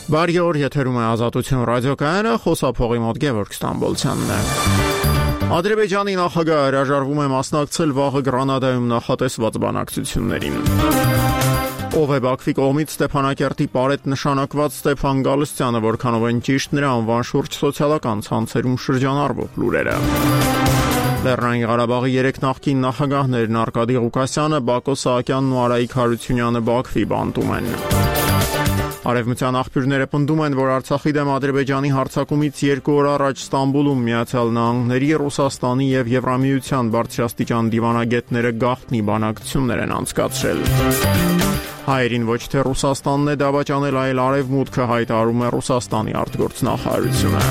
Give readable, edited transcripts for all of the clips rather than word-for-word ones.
Բարի օր, եթերում է Ազատություն ռադիոկայանը, խոսափողի մոտ Գևորգ Ստամբոլցյանն է։ Ադրբեջանի նախագահը հրաժարվում է մասնակցել վաղը Գրանադայում նախատեսված բանակցություններին։ Ով է Բաքվի կողմից Ստեփանակերտի պարետ նշանակված Ստեփան Գալստյանը, որքանով են ճիշտ նրա անվան շուրջ սոցիալական ցանցերում շրջանառվող լուրերը։ Լեռնային Ղարաբաղի 3 նախկին նախագահներն Արկադի Ղուկասյանը, Բակո Սահակյանն ու Արայիկ Հարությունյանը Բաքվի բանտում են։ Արևմտյան աղբյուրները պնդում են, որ Արցախի դեմ Ադրբեջանի հարձակումից 2 օր առաջ Ստամբուլում Միացյալ Նահանգների, Ռուսաստանի եւ Եվրամիության բարձրաստիճան դիվանագետները գաղտնի բանակցություններ են անցկացրել։ Հայերին ոչ թե Ռուսաստանն է դավաճանել, այլ Արևմուտքը, հայտարարում է Ռուսաստանի արտգործնախարարությունը։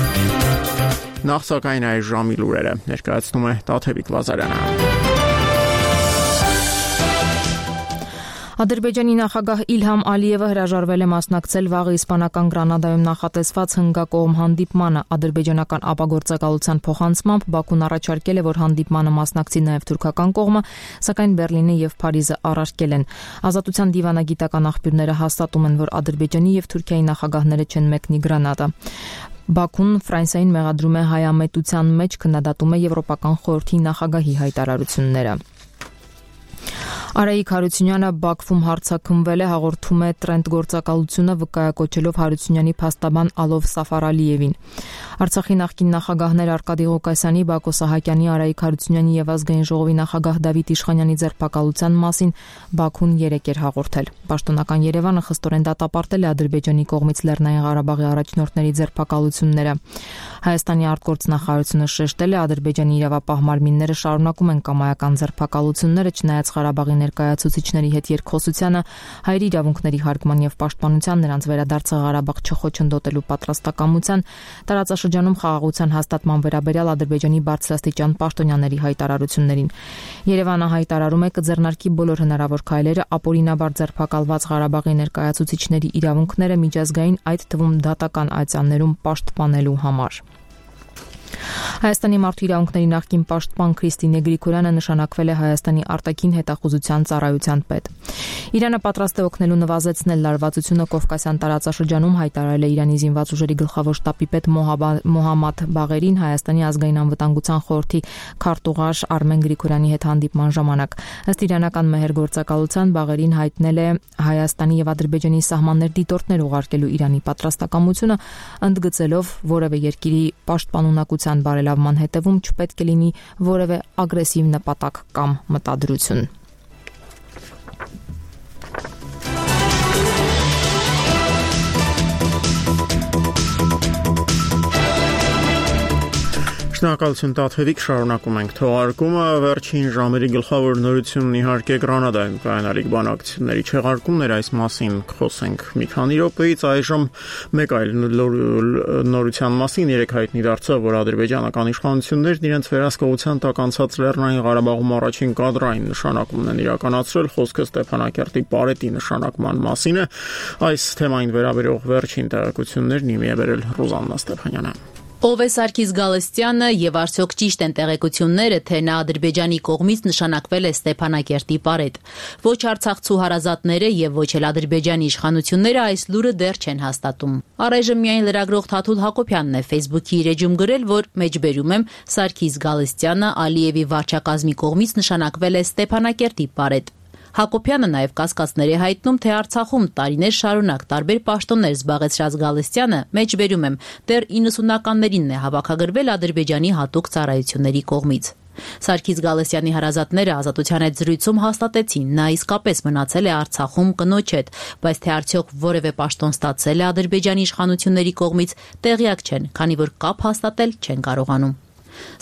Նախ սակայն այս ժամի լուրերը ներկայացնում է Տաթևիկ Լազարյանը։ Ադրբեջանի նախագահ Իլհամ Ալիևը հրաժարվել է մասնակցել վաղը իսպանական Գրանադայում նախատեսված հնգակողմ հանդիպմանը։ Ադրբեջանական ապագործակալության փոխանցմամբ Բաքուն առաջարկել է, որ հանդիպմանը մասնակցի նաև թուրքական կողմը, սակայն Բեռլինը եւ Փարիզը առարկել են։ Ազատության դիվանագիտական աղբյուրները հաստատում են, որ Ադրբեջանի եւ Թուրքիայի նախագահները չեն մեկնի Գրանադա։ Բաքուն Ֆրանսիային մեղադրում է հայամետության մեջ, քննադատում է Եվրոպական խորհրդի նախագահի հայտարարությունները։ Արայիկ Հարությունյանը Բաքվում հարձակումվել է, հաղորդում է Տրենդ գործակալությունը, վկայակոչելով Հարությունյանի փաստաբան Ալով Սաֆարալիևին։ Արցախի նախկին նախագահներ Արկադի Ղուկասյանի, Բակո Սահակյանի, Արայիկ Հարությունյանի եւ Ազգային ժողովի նախագահ Դավիթ Իշխանյանի ձերբակալության մասին Բաքուն 3 էր հաղորդել։ Պաշտոնական Երևանը խստորեն դատապարտել է Ադրբեջանի կողմից Լեռնային Ղարաբաղի առաջնորդների ձերբակալությունները։ Հայաստանի արտգործնախարարությունը շեշտել է, Ադրբեջանի իրավապահ մարմինները շարունակում են կամայական ձերբակալությունները, չնայած Ղարաբաղի ներկայացուցիչների հետ երկխոսությանը, հայերի իրավունքների հարգման եւ պաշտպանության, նրանց վերադարձը Ղարաբաղ չխոչընդոտելու պատրաստակամության, տարածաշրջանում խաղաղության հաստատման վերաբերյալ Ադրբեջանի բարձրաստիճան պաշտոնյաների հայտարարություններին։ Երևանը հայտարարում է կձեռնարկի բոլոր հնարավոր քայլերը ապօրինաբար ձերբակալված Ղարաբաղի ներկայացուցիչների իրավունքները միջազգային, այդ թվում դատական այցաններում պաշտպանելու համար։ Հայաստանի մարդու իրավունքների նախկին պաշտպան Քրիստինե Գրիգորյանը նշանակվել է Հայաստանի արտաքին հետախուզության ծառայության պետ։ Իրանը պատրաստ է օգնելու նվազեցնել լարվածությունը Կովկասյան տարածաշրջանում, հայտարարել է Իրանի զինված ուժերի գլխավոր շտաբի պետ Մոհամմադ Բաղերին Հայաստանի ազգային անվտանգության խորհրդի քարտուղար Արմեն Գրիգորյանի հետ հանդիպման ժամանակ։ Ըստ իրանական մեհեր գործակալության Բաղերին հայտնել է Հայաստանի եւ Ադրբեջանի սահմաններ դիտորդներ ուղարկելու Իրանի պատրաստակամությունը, ընդգծելով որևէ երկրի պաշտպանունակության բարելավման հետևում չպետք է լինի որևէ ագրեսիվ նպատակ կամ մտադրություն։ Շնորհակալություն Տաթևիկ, շարունակում ենք թողարկումը։ Վերջին ժամերի գլխավոր նորությունն իհարկե Գրանադայում կայանալիք բանակցությունների չեղարկումներ, այս մասին խոսենք մի քանի րոպեից։ Այժմ մեկ այլ նորության մասին երեք հայտնի դարձավ, որ ադրբեջանական իշխանություններն իրենց վերահսկողության տակ անցած Լեռնային Ղարաբաղում առաջին կադրային նշանակումն են իրականացրել, խոսքը Ստեփանակերտի պարետի նշանակման մասին է։ Այս թեմային վերաբերող վերջին տեղեկություններն իմի է բերել Ռուզաննա Ստեփանյանը։ Ով է Սարգիս Գալստյանը եւ արդյոք ճիշտ են տեղեկությունները, թե նա Ադրբեջանի կողմից նշանակվել է Ստեփանակերտի պարետ։ Ոչ արցախցու հարազատները եւ ոչ էլ Ադրբեջանի իշխանությունները այս լուրը դեռ չեն հաստատում։ Առայժմ միայն լրագրող Թաթուլ Հակոբյանն է Facebook-ի իր էջում գրել, որ մեջբերում եմ Սարգիս Գալստյանը Ալիևի վարչակազմի կողմից նշանակվել է Ստեփանակերտի պարետ։ Հակոբյանը նաև կասկածներ է հայտնում, թե Արցախում տարիներ շարունակ տարբեր պաշտոններ զբաղեցրած Գալստյանը, մեջբերում եմ, դեռ 90-ականներին է հավաքագրվել Ադրբեջանի հատուկ ծառայությունների կողմից։ Սարգիս Գալստյանի հարազատները Ազատության հետ զրույցում հաստատեցին, նա իսկապես մնացել է Արցախում կնոջ հետ, բայց թե արդյոք որևէ պաշտոն ստացել է Ադրբեջանի իշխանությունների կողմից, տեղյակ չեն, քանի որ կապ հաստատել չեն կարողանում։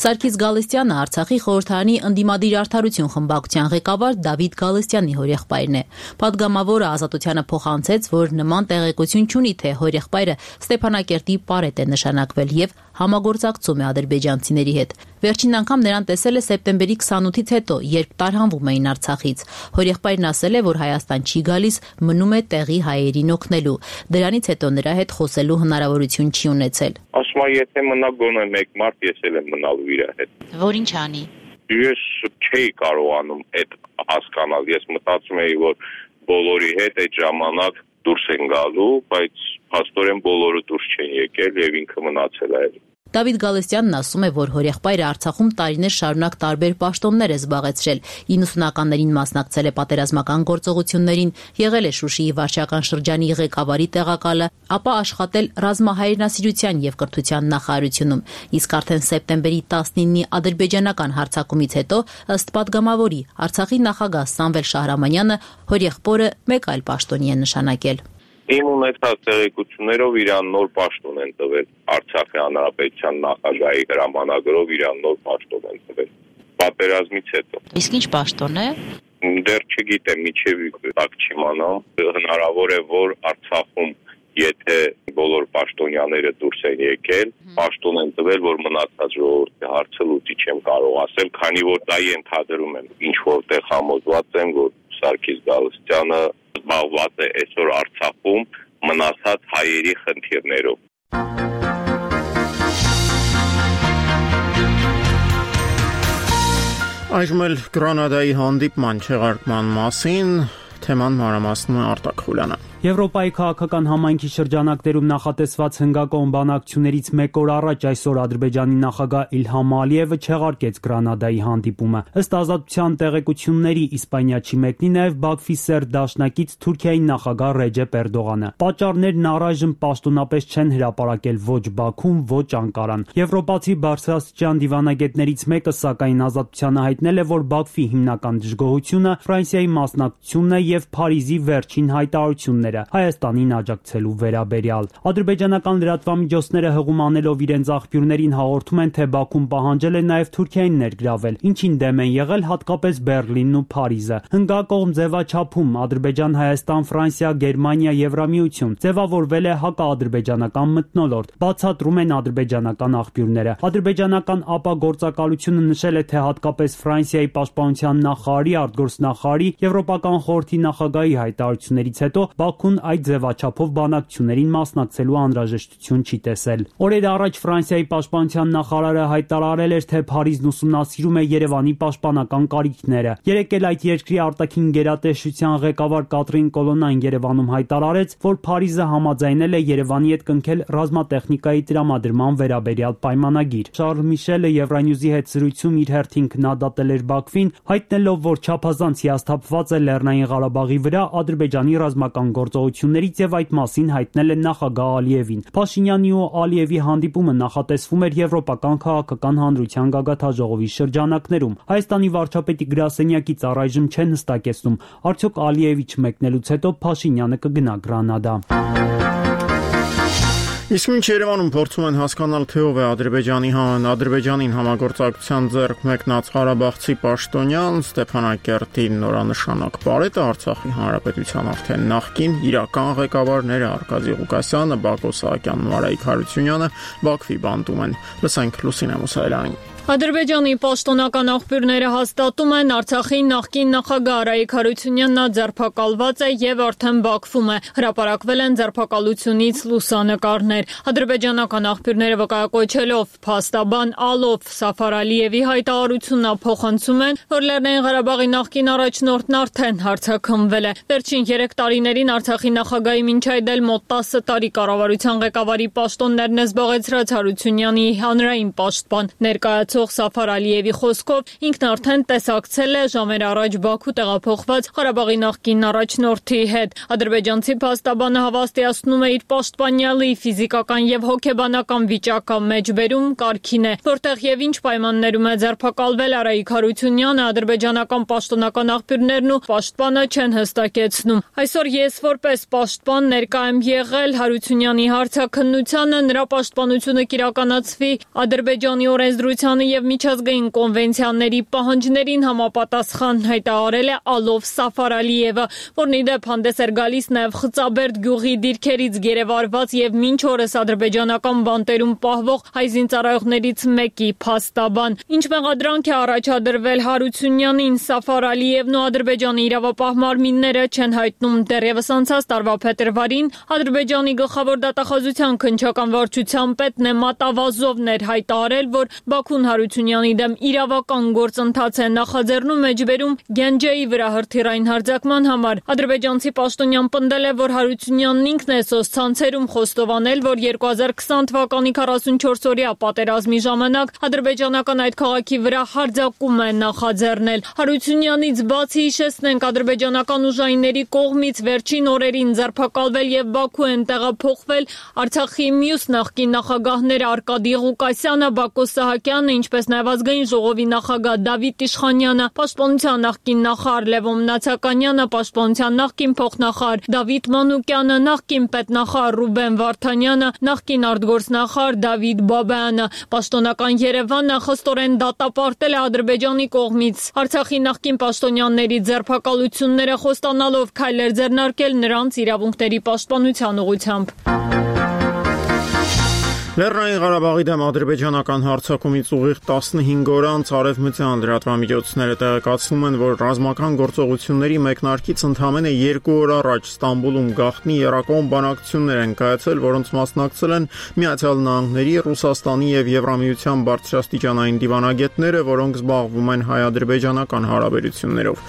Սարգիս Գալստյանը Արցախի խորհրդարանի ընդդիմադիր արդարություն խմբակցության ղեկավար Դավիթ Գալստյանի հորեղբայրն է։ Պատգամավորը Ազատությանը փոխանցեց, որ նման տեղեկություն չունի, թե հորեղբայրը Ստեփանակերտի պարետ է նշանակվել եւ համագործակցում է ադրբեջանցիների հետ։ Վերջին անգամ նրան տեսել է սեպտեմբերի 28-ից հետո, երբ տարհանվում էին Արցախից։ Հորեղբայրն ասել է, որ Հայաստան չի գալիս, մնում է տեղի հայերին օգնելու։ Դրանից հետո նրա հետ խոսելու հնարավորություն չի ունեցել։ Ասում եմ, եթե մնա գոնե 1 մարդ, ես էլ եմ մնալու իր հետ։ Որ ինչ անի։ Ես չէի կարողանում այդ հասկանալ։ Ես մտածում էի, որ բոլորի հետ այդ ժամանակ դուրս են գալու, բայց փաստորեն բոլորը դուրս չեն եկել եւ ինքը մնացել է։ Դավիթ Գալստյանն ասում է, որ հորեղբայրը Արցախում տարիներ շարունակ տարբեր պաշտոններ է զբաղեցրել։ 90-ականներին մասնակցել է պատերազմական գործողություններին, եղել է Շուշիի վարչական շրջանի ղեկավարի տեղակալը, ապա աշխատել ռազմահայրենասիրության եւ կրթության նախարարությունում։ Իսկ արդեն սեպտեմբերի 19-ի ադրբեջանական հարձակումից հետո, ըստ падգամավորի, Արցախի նախագահ Սամվել Շահրամանյանը հորեղբորը մեկ այլ պաշտոնի է նշանակել։ Իմ ունեցած տեղեկություններով իրան նոր պաշտոն են տվել Արցախի հանրապետության նախագահի հրամանագրով իրան նոր պաշտոն են տվել պատերազմից հետո։ Իսկ ինչ պաշտոն է։ Դեռ չգիտեմ, միջև տակ չիմանամ, հնարավոր է որ Արցախում եթե բոլոր պաշտոնյաները դուրս են եկել, պաշտոն են տվել, որ մնացած ժողովրդի հարցը լուծի չեմ կարող ասել, քանի որ դա ենթադրում եմ, ինչ որտեղ համոզված եմ, որ Սարգիս Գալստյանը զբաղված է այսօր Արցախում մնացած հայերի խնդիրներով։ Այժմ էլ Գրանադայի հանդիպման չեղարկման մասին թեման մանրամասնում է Արտակ Խուլյանը։ Եվրոպայի քաղաքական համայնքի շրջանակներում նախատեսված հնգակոմ բանակցություններից մեկ օր առաջ այսօր Ադրբեջանի նախագահ Իլհամ Ալիևը չեղարկեց Գրանադայի հանդիպումը։ Ըստ ազատության տեղեկությունների իսպանիացի մեկնի նաև Բաքվի սերտ դաշնակից Թուրքիայի նախագահ Ռեջեփ Էրդողանը։ Պատճառներն առայժմ պաշտոնապես չեն հրապարակել ոչ Բաքուն, ոչ Անկարան։ Եվրոպացի բարձրաստիճան դիվանագետներից մեկը սակայն ազատությանը հայտնել է, որ Բաքվի հիմնական դժգոհությունը Ֆրանսիայի մասնակցությունն է եւ Փարիզի վերջին հայտարարությունները Հայաստանին աջակցելու վերաբերյալ։ Ադրբեջանական լրատվամիջոցները հղում անելով իրենց աղբյուրներին հաղորդում են, թե Բաքուն պահանջել է նաև Թուրքիային ներգրավել, ինչին դեմ են եղել հատկապես Բեռլինն ու Փարիզը։ Հնգակողմ ձևաչափում Ադրբեջան, Հայաստան, Ֆրանսիա, Գերմանիա, Եվրամիություն ձևավորվել է հակաադրբեջանական մթնոլորտ, բացատրում են ադրբեջանական աղբյուրները։ Ադրբեջանական ԱՊԱ գործակալությունը նշել է, թե հատկապես Ֆրանսիայի պաշտպանության նախարարի, արտգործնախարարի, Եվրոպական խորհրդի նախագահի հայտարարություններից հետո Բաքուն այդ ձևաչափով բանակցություններին մասնակցելու անհրաժեշտություն չի տեսել։ Օրեր առաջ Ֆրանսիայի պաշտպանության նախարարը հայտարարել էր, թե Փարիզն ուսումնասիրում է Երևանի պաշտպանական կարիքները։ Երեկ էլ այդ երկրի արտաքին գերատեսչության ղեկավար Կատրին Կոլոննան Երևանում հայտարարեց, որ Փարիզը համաձայնել է Երևանի հետ կնքել ռազմատեխնիկայի տրամադրման վերաբերյալ պայմանագիր։ Շարլ Միշելը Евronewsի հետ զրույցում իր հերթին քննադատել էր Բաքվին, հայտնելով, որ չափազանց հիասթափված է Լեռնային Ղարաբաղի վրա Ադրբեջանի ռազմական գործողություններից եւ այդ մասին հայտնել է նախագահ Ալիևին։ Փաշինյանի ու Ալիևի հանդիպումը նախատեսվում էր Եվրոպական քաղաքական հանրության գագաթաժողովի շրջանակներում։ Հայաստանի վարչապետի գրասենյակից առայժմ չեն հստակեցնում, արդյոք Ալիևի չմեկնելուց հետո Փաշինյանը կգնա Գրանադա։ Իսկ մինչ Երևանում փորձում են հասկանալ, թե ով է Ադրբեջանին համագործակցության ձեռք մեկնած ղարաբաղցի պաշտոնյան Ստեփանակերտի նորանշանակ պարետը Արցախի հանրապետության արդեն նախկին իրական ղեկավարները Արկադի Ղուկասյանը, Բակո Սահակյանն ու Արայիկ Հարությունյանը Բաքվի բանտում են։ Լսենք Լուսինե Մուսայելյանին։ Ադրբեջանի պաշտոնական աղբյուրները հաստատում են Արցախի նախկին նախագահ Արայիկ Հարությունյանն ձերբակալված է եւ արդեն Բաքվում է։ Հրապարակվել են ձերբակալությունից լուսանկարներ։ Ադրբեջանական աղբյուրները վկայակոչելով փաստաբան Ալով Սաֆար Ալիևի հայտարարությունն փոխանցում են, որ Լեռնային Ղարաբաղի նախկին առաջնորդն արդեն հարձակումվել է։ Վերջին 3 տարիներին Արցախի նախագահի մինչ այդ էլ մոտ 10 տարի կառավարության ղեկավարի պաշտոններն է զբաղեցրած Հարությունյանի հանրային պաշտպան ներկայացող Սաֆար Ալիևի խոսքով ինքն արդեն տեսակցել է ժամեր առաջ Բաքու տեղափոխված Ղարաբաղի նախկին առաջնորդի հետ։ Ադրբեջանցի փաստաբանը հավաստիացնում է իր պաշտպանյալի ֆիզիկական եւ հոգեբանական վիճակը մեջբերում կարգին է, որտեղ եւ ինչ պայմաններում է ձերբակալվել Արայիկ Հարությունյանը, ադրբեջանական պաշտոնական աղբյուրներն ու պաշտպանը չեն հստակեցնում։ Այսօր ես որպես պաշտպան ներկա եմ եղել Հարությունյանի հարցաքննությանը, նրա պաշտպանությունը կիրականացվի Ադրբեջանի օրենսդրությանը եւ միջազգային կոնվենցիաների պահանջներին համապատասխան հայտարարել է Ալով Սաֆար Ալիևը, որն ի դեպ հանդես էր գալիս նաեւ Խծաբերդ գյուղի դիրքերից գերեվարված եւ մինչ օրս ադրբեջանական բանտերում պահվող հայ զինծառայողներից մեկի փաստաբան։ Ինչ մեղադրանք է առաջադրվել Հարությունյանին, Սաֆար Ալիևն ու Ադրբեջանի իրավապահ մարմինները չեն հայտնում։ Դեռևս անցած տարվա փետրվարին Ադրբեջանի գլխավոր դատախազության քննչական վարչության պետ Նեմատ Ավազովն էր հայտարարել, որ Բաքուն Հարությունյանի դեմ իրավական գործընթաց է նախաձեռնում մեջբերում Գենջեի վրա հրթիռային հարձակման համար։ Ադրբեջանցի պաշտոնյան պնդել է, որ Հարությունյանն ինքն է սոցցանցերում խոստովանել, որ 2020 թվականի 44-օրյա պատերազմի ժամանակ ադրբեջանական այդ քաղաքի վրա հարձակում է նախաձեռնել։ Հարությունյանից բացի հիշեցնենք, ադրբեջանական ուժայինների կողմից վերջին օրերին ձերբակալվել եւ Բաքու են տեղափոխվել Արցախի մյուս նախկին նախագահները Արկադի Ղուկասյանը, Բակո Սահակյանը, ինչպես նաև ազգային ժողովի նախագահ Դավիթ Իշխանյանը, պաշտպանության նախկին նախարար Լևոն Մնացականյանը, պաշտպանության նախկին փոխնախարար Դավիթ Մանուկյանը, նախկին պետնախարար Ռուբեն Վարդանյանը, նախկին արտգործնախարար Դավիթ Բաբայանը։ Պաշտոնական Երևանը խստորեն դատապարտել է Ադրբեջանի կողմից Արցախի նախկին պաշտոնյաների ձերբակալությունները, խոստանալով քայլեր ձեռնարկել նրանց իրավունքների պաշտպանության ուղղությամբ։ Լեռնային Ղարաբաղի դեմ ադրբեջանական հարձակումից ուղիղ 15 օր անց արևմտյան լրատվամիջոցները տեղեկացնում են, որ ռազմական գործողությունների մեկնարկից ընդամենը 2 օր առաջ Ստամբուլում գաղտնի եռակողմ բանակցություններ են կայացել, որոնց մասնակցել են Միացյալ Նահանգների, Ռուսաստանի եւ Եվրամիության բարձրաստիճանային դիվանագետները, որոնք զբաղվում են հայ-ադրբեջանական հարաբերություններով։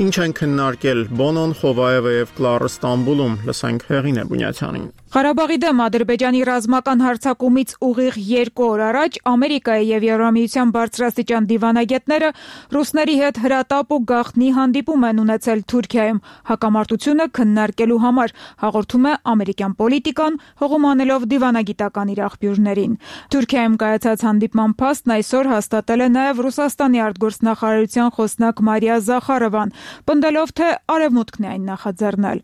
Ինչ են քննարկել Բոնոն, Խովայևը եւ Կլարը Ստամբուլում, լսենք Հեղինե Բունյացյանին։ Ղարաբաղի դեմ ադրբեջանի ռազմական հարձակումից ուղիղ 2 օր առաջ Ամերիկայի եւ Եվրամիության բարձրաստիճան դիվանագետները ռուսների հետ հրատապ ու գաղտնի հանդիպում են ունեցել Թուրքիայում հակամարտությունը քննարկելու համար, հաղորդում է ամերիկյան Պոլիտիկան, հողում անելով դիվանագիտական իր աղբյուրներին։ Թուրքիայում կայացած հանդիպման փաստն այսօր հաստատել է նաեւ Ռուսաստանի արտգործնախարարության խոսնակ Մարիա Զախարովան, պնդելով, թե արևմուտքն է այն նախաձեռնել։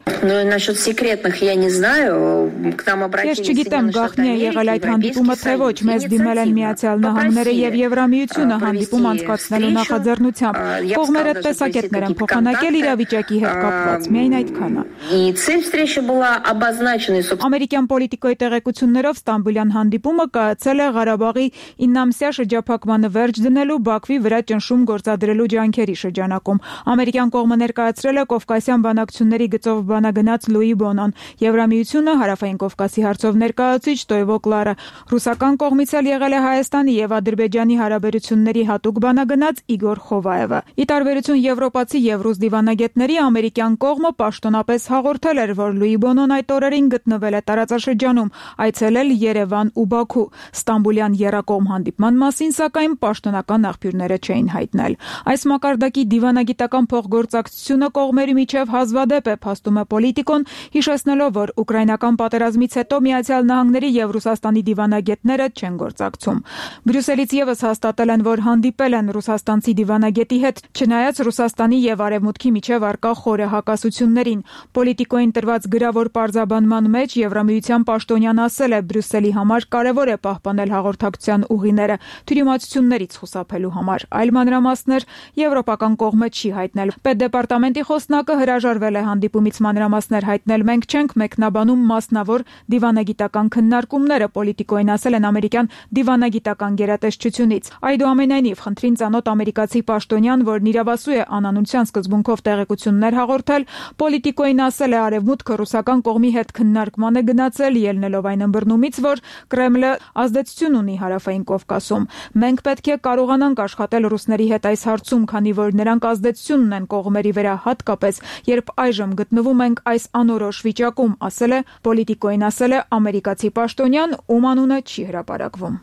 Ես չգիտեմ գաղտնի է եղել այդ հանդիպումը, թե ոչ, մեզ դիմել են Միացյալ Նահանգները եւ Եվրամիությունը հանդիպում անցկացնելու նախաձեռնությամբ։ Կողմերը տեսակետներ են փոխանակել իրավիճակի հետ կապված, միայն այդքանը։ Ամերիկյան Պոլիտիկոյի տեղեկություններով Ստամբուլյան հանդիպումը կայացել է Ղարաբաղի 9-ամսյա շրջափակմանը վերջ դնելու Բաքվի վրա ճնշում գործադրելու ջանքերի շրջանակում։ Ամերիկյան կողմը ներկայացրել է Կովկասյան բանակցությունների գծով բանագնաց Լուի Բոնոն, Եվրամիությունը Հարավային Կովկասի հարցով ներկայացուցիչ Տոյվո Կլարը, ռուսական կողմից էլ եղել է Հայաստանի եւ Ադրբեջանի հարաբերությունների հատուկ բանագնաց Իգոր Խովայևը։ Ի տարբերություն եվրոպացի եւ ռուս դիվանագետների, ամերիկյան կողմը պաշտոնապես հաղորդել էր, որ Լուի Բոնոն այդ օրերին գտնվել է տարածաշրջանում, այցելել Երևան ու Բաքու։ Ստամբուլյան եռակողմ հանդիպման մասին, սակայն պաշտոնական աղբյուրները չէին հայտնել։ Այս մակարդակի դիվանագիտական փոխգործակցությունը կողմերի միջև հազվադեպ է, փաստում է Պոլիտիկոն, հիշեցնելով, որ ուկրաինական պատերազմից հետո Միացյալ Նահանգների եւ Ռուսաստանի դիվանագետները չեն գործակցում։ Բրյուսելից եւս հաստատել են, որ հանդիպել են ռուսաստանցի դիվանագետի հետ, չնայած Ռուսաստանի եւ Արևմուտքի միջև առկա խորը հակասություններին։ Պոլիտիկոյին տրված գրավոր պարզաբանման մեջ Եվրամիության պաշտոնյան ասել է, Բրյուսելի համար կարևոր է պահպանել հաղորդակցության ուղիները թյուրիմացություններից խուսափելու համար։ Այլ մանրամասներ եվրոպական կողմը չի հայտնել։ Պետդեպարտամենտի խոսնակը հրաժարվել է հանդիպումից մանրամասներ հայտնել։ Մենք չենք մեկնաբանում մասնավոր դիվանագիտական քննարկումները, Պոլիտիկոյին ասել են ամերիկյան դիվանագիտական գերատեսչությունից։ Այդուամենայնիվ, խնդրին ծանոթ ամերիկացի պաշտոնյան, որն իրավասու է անանունության սկզբունքով տեղեկություններ հաղորդել, Պոլիտիկոյին ասել է, արևմուտքը ռուսական կողմի հետ քննարկման է գնացել, ելնելով այն ըմբռնումից, որ Կրեմլը ազդեցություն ունի Հարավային Կովկասում։ Մենք պետք է կարողանանք աշխատել ռուսների հետ այս հարցում, քանի որ նրանք ազդեցություն ունեն կողմերի վրա, հատկապես երբ այժմ գտնվում ենք այս անորոշ վիճակում, ասել է Պոլիտիկոյին, ասել է ամերիկացի պաշտոնյան, ում անունը չի հրապարակվում։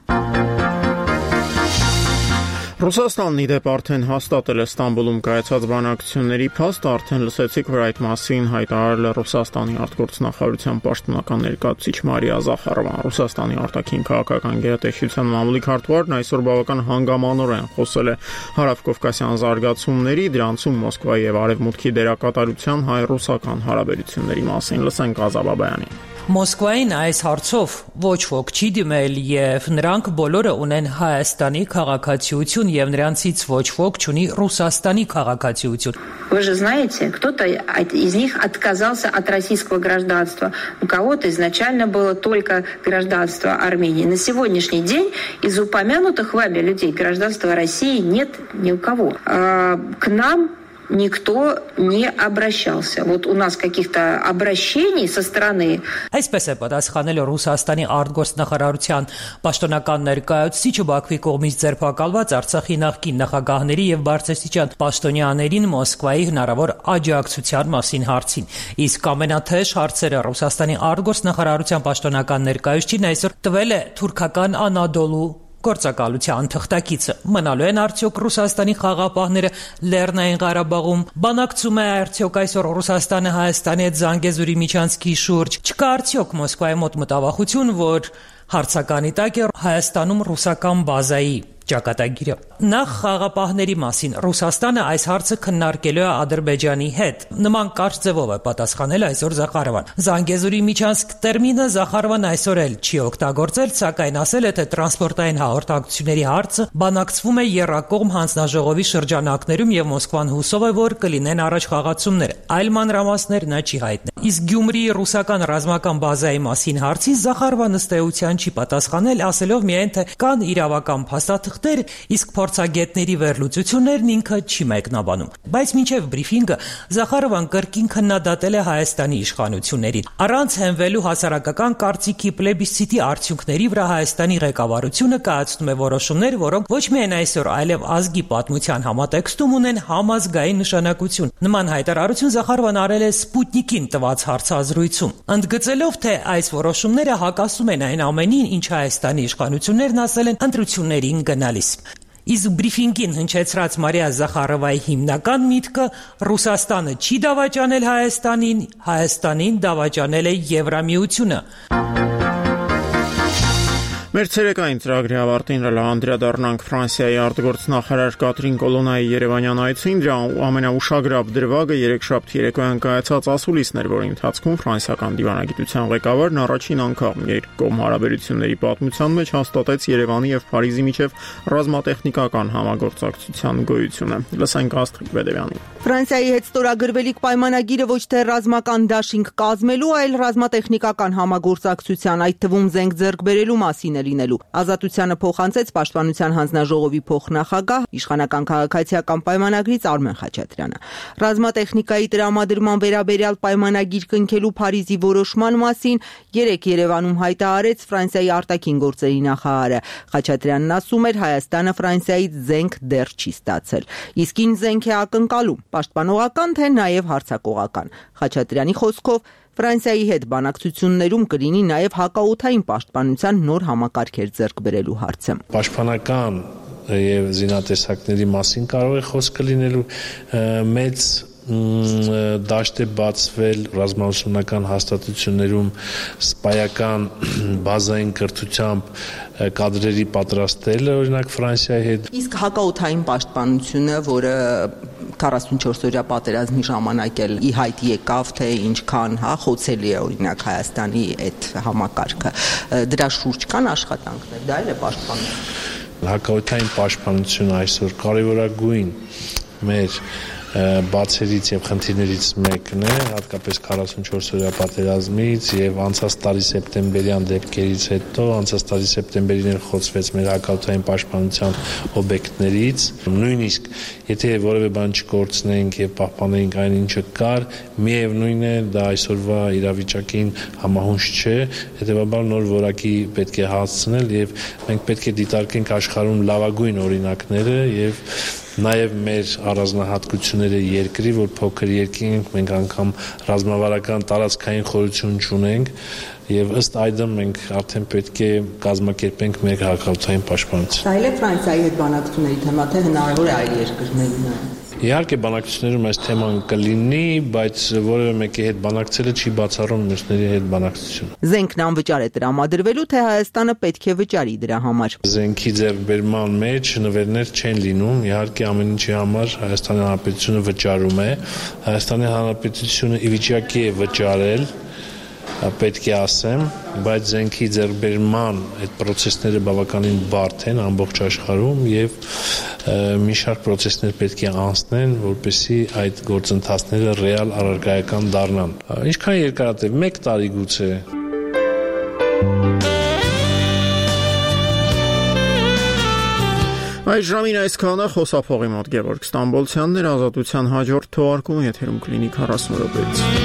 Ռուսաստանն ի դեպ արդեն հաստատել է Ստամբուլում կայացած բանակցությունների փաստը, արդեն լսեցիք, որ այդ մասին հայտարարել է Ռուսաստանի արտգործնախարարության պաշտոնական ներկայացուցիչ Մարիա Զախարովան։ Ռուսաստանի արտաքին քաղաքական գերատեսչության մամուլի քարտուղարն այսօր բավական հանգամանորեն խոսել է հարավկովկասյան զարգացումների, դրանցում Մոսկվայի եւ Արևմուտքի դերակատարության հայ-ռուսական հարաբերությունների մասին։ Լսենք Ազա Բաբայանին։ Մոսկվային այս հարցով ոչ ոք չի դիմել եւ նրանք բոլորը ունեն Հայաստանի քաղաքացիություն եւ նրանցից ոչ ոք չունի Ռուսաստանի քաղաքացիություն։ Вы же знаете, кто-то из них отказался от российского гражданства. У кого-то изначально было только гражданство Армении. На сегодняшний день из упомянутых вами людей гражданства России нет ни у кого. К нам никто не обращался. Вот у нас каких-то обращений со стороны. Այսպես է պատասխանել Ռուսաստանի արտգործնախարարության պաշտոնական ներկայացուցիչը Բաքվի կողմից ձերբակալված Արցախի նախկին նախագահների եւ բարձրաստիճան պաշտոնյաներին Մոսկվայի հնարավոր աջակցության մասին հարցին։ Իսկ ամենաթեժ հարցերը Ռուսաստանի արտգործնախարարության պաշտոնական ներկայացուցիչին այսօր տվել է թուրքական Անադոլու գործակալության թղթակիցը։ Մնալու են արդյոք Ռուսաստանի խաղապահները Լեռնային Ղարաբաղում, բանակցում է արդյոք այսօր Ռուսաստանը Հայաստանի հետ Զանգեզուրի միջանցքի շուրջ, չկա արդյոք Մոսկվայի մոտ մտավախություն, որ հարցականի տակ է Հայաստանում ռուսական բազայի ճակատագիրը։ Նախ խաղապահների մասին Ռուսաստանը այս հարցը քննարկելու է Ադրբեջանի հետ։ Նման կարճ ձևով է պատասխանել այսօր Զախարովան։ Զանգեզուրի միջանցք տերմինը Զախարովան այսօր էլ չի օգտագործել, սակայն ասել է, թե տրանսպորտային հաղորդակցությունների հարցը բանակցվում է եռակողմ հանձնաժողովի շրջանակներում եւ Մոսկվան հուսով է, որ կլինեն առաջ խաղացումներ։ Այլ մանրամասներ նա չի հայտնել։ Իսկ Գյումրիի ռուսական ռազմական բազայի մասին հարցի Զախարովան ըստ էության չի պատասխանել, ասելով միայն, թե կան իրավական փաստաթղթեր, իսկ փորձագետների վերլուծություններն ինքը չի մեկնաբանում։ Բայց մինչև բրիֆինգը Զախարովան կրկին քննադատել է Հայաստանի իշխանություններին։ Առանց հենվելու հասարակական կարծիքի պլեբիսցիտի արդյունքների վրա Հայաստանի ղեկավարությունը կայացնում է որոշումներ, որոնք ոչ միայն այսօր, այլև ազգի պատմության համատեքստում ունեն համազգային նշանակություն։ Նման հայտարարություն Զախարովան արել է Սպուտնիկին տված հարցազրույցում, ընդգծելով, թե այս որոշումները հակասում են այն ամենին, ինչ Հայաստանի իշխանություններն ասել են ընտրություններին գնալիս։ Իսկ բրիֆինգին հնչեցրած Մարիա Զախարովայի հիմնական միտքը Ռուսաստանը չի դավաճանել Հայաստանին, Հայաստանին դավաճանել է Եվրամիությունը։ Մեր ցերեկային ծրագրի ավարտին անդրադառնանք Ֆրանսիայի արտգործնախարար Կատրին Կոլոնայի Երևանյան այցին, դրա ամենաուշագրավ դրվագը երեքշաբթի երեկոյան կայացած ասուլիսն էր, որի ընթացքում ֆրանսիական դիվանագիտության ղեկավարն առաջին անգամ երկկողմ հարաբերությունների պատմության մեջ հաստատեց Երևանի եւ Փարիզի միջև ռազմատեխնիկական համագործակցության գոյությունը։ Լսենք Աստղիկ Բեդևյանին։ Ֆրանսիայի հետ ստորագրվելիք պայմանագիրը ոչ թե ռազմական դաշինք կազմելու, այլ ռազմատեխնիկական համագործակցության, այդ թվում զենք ձեռք բերելու մասին լինելու։ Ազատությանը փոխանցեց Պաշտպանության հանձնաժողովի փոխնախագահ իշխանական քաղաքացիական պայմանագրից Արմեն Խաչատրյանը։ Ռազմատեխնիկայի տրամադրման վերաբերյալ պայմանագիր կնքելու Փարիզի որոշման մասին երեկ Երևանում հայտարարեց Ֆրանսիայի արտաքին գործերի նախարարը։ Խաչատրյանն ասում էր, Հայաստանը Ֆրանսիայից զենք դեռ չի ստացել։ Իսկ ինչ զենք է ակնկալում, պաշտպանողական թե նաև հարձակողական։ Խաչատրյանի խոսքով Ֆրանսիայի հետ բանակցություններում կլինի նաև հակաօդային պաշտպանության նոր համակարգեր ձեռք բերելու հարցը։ Պաշտպանական եւ զինատեսակների մասին կարող է խոսքը լինելու մեծ դաշտ է բացվել ռազմաուսումնական հաստատություններում սպայական բազային կրթությամբ կադրերի պատրաստելը, օրինակ Ֆրանսիայի հետ։ Իսկ հակաօդային պաշտպանությունը, որը 44-օրյա պատերազմի ժամանակ էլ ի հայտ եկավ, թե ինչքան խոցելի է օրինակ Հայաստանի այդ համակարգը, դրա շուրջ կան աշխատանքներ, դա էլ է պաշտպանություն։ Հակաօդային պաշտպանությունը այսօր կարևորագույն մեր բացերից եւ խնդիրներից մեկն է, հատկապես 44-օրյա պատերազմից եւ անցած տարի սեպտեմբերյան դեպքերից հետո, անցած տարի սեպտեմբերին էլ խոցվեց մեր հակաօդային պաշտպանության օբյեկտներից, նույնիսկ եթե որևէ բան չկորցնենք եւ պահպանենք այն ինչը կար, միևնույն է դա այսօրվա իրավիճակին համահունչ չէ, հետեւաբար նոր որակի պետք է հասցնել եւ մենք պետք է դիտարկենք աշխարհում լավագույն օրինակները եւ նաև մեր առանձնահատկությունները երկրի, որ փոքր երկիր ենք, մենք անգամ ռազմավարական տարածքային խորություն չունենք եւ ըստ այդմ մենք արդեն պետք է կազմակերպենք մեր հակաօդային պաշտպանություն։ Դա էլ է Ֆրանսիայի հետ բանակցությունների թեմա, թե հնարավոր է այլ երկրներն։ Իհարկե բանակցություններում այս թեման կլինի, բայց որևէ մեկի հետ բանակցելը չի բացառում մյուսների հետ բանակցություն։ Զենքն անվճար է տրամադրվելու, թե Հայաստանը պետք է վճարի դրա համար։ Զենքի ձեռքբերման մեջ նվերներ չեն լինում, իհարկե ամեն ինչի համար Հայաստանի Հանրապետությունը վճարում է։ Հայաստանի Հանրապետությունը ի վիճակի է վճարել, պետք է ասեմ, բայց զենքի ձեռքբերման այդ process-ները բավականին բարդ են ամբողջ աշխարհում եւ մի շարք process-ներ պետք է անցնեն, որպեսզի այդ գործընթացները ռեալ առարկայական դառնան։ Ինչքան երկարատև 1 տարի գուցե։ Այս ժամին այսքանը խոսափողի մոտ Գևորգ Ստամբոլցյանն էր, Ազատության հաջորդ թողարկումը եթերում կլինի 40 րոպեից։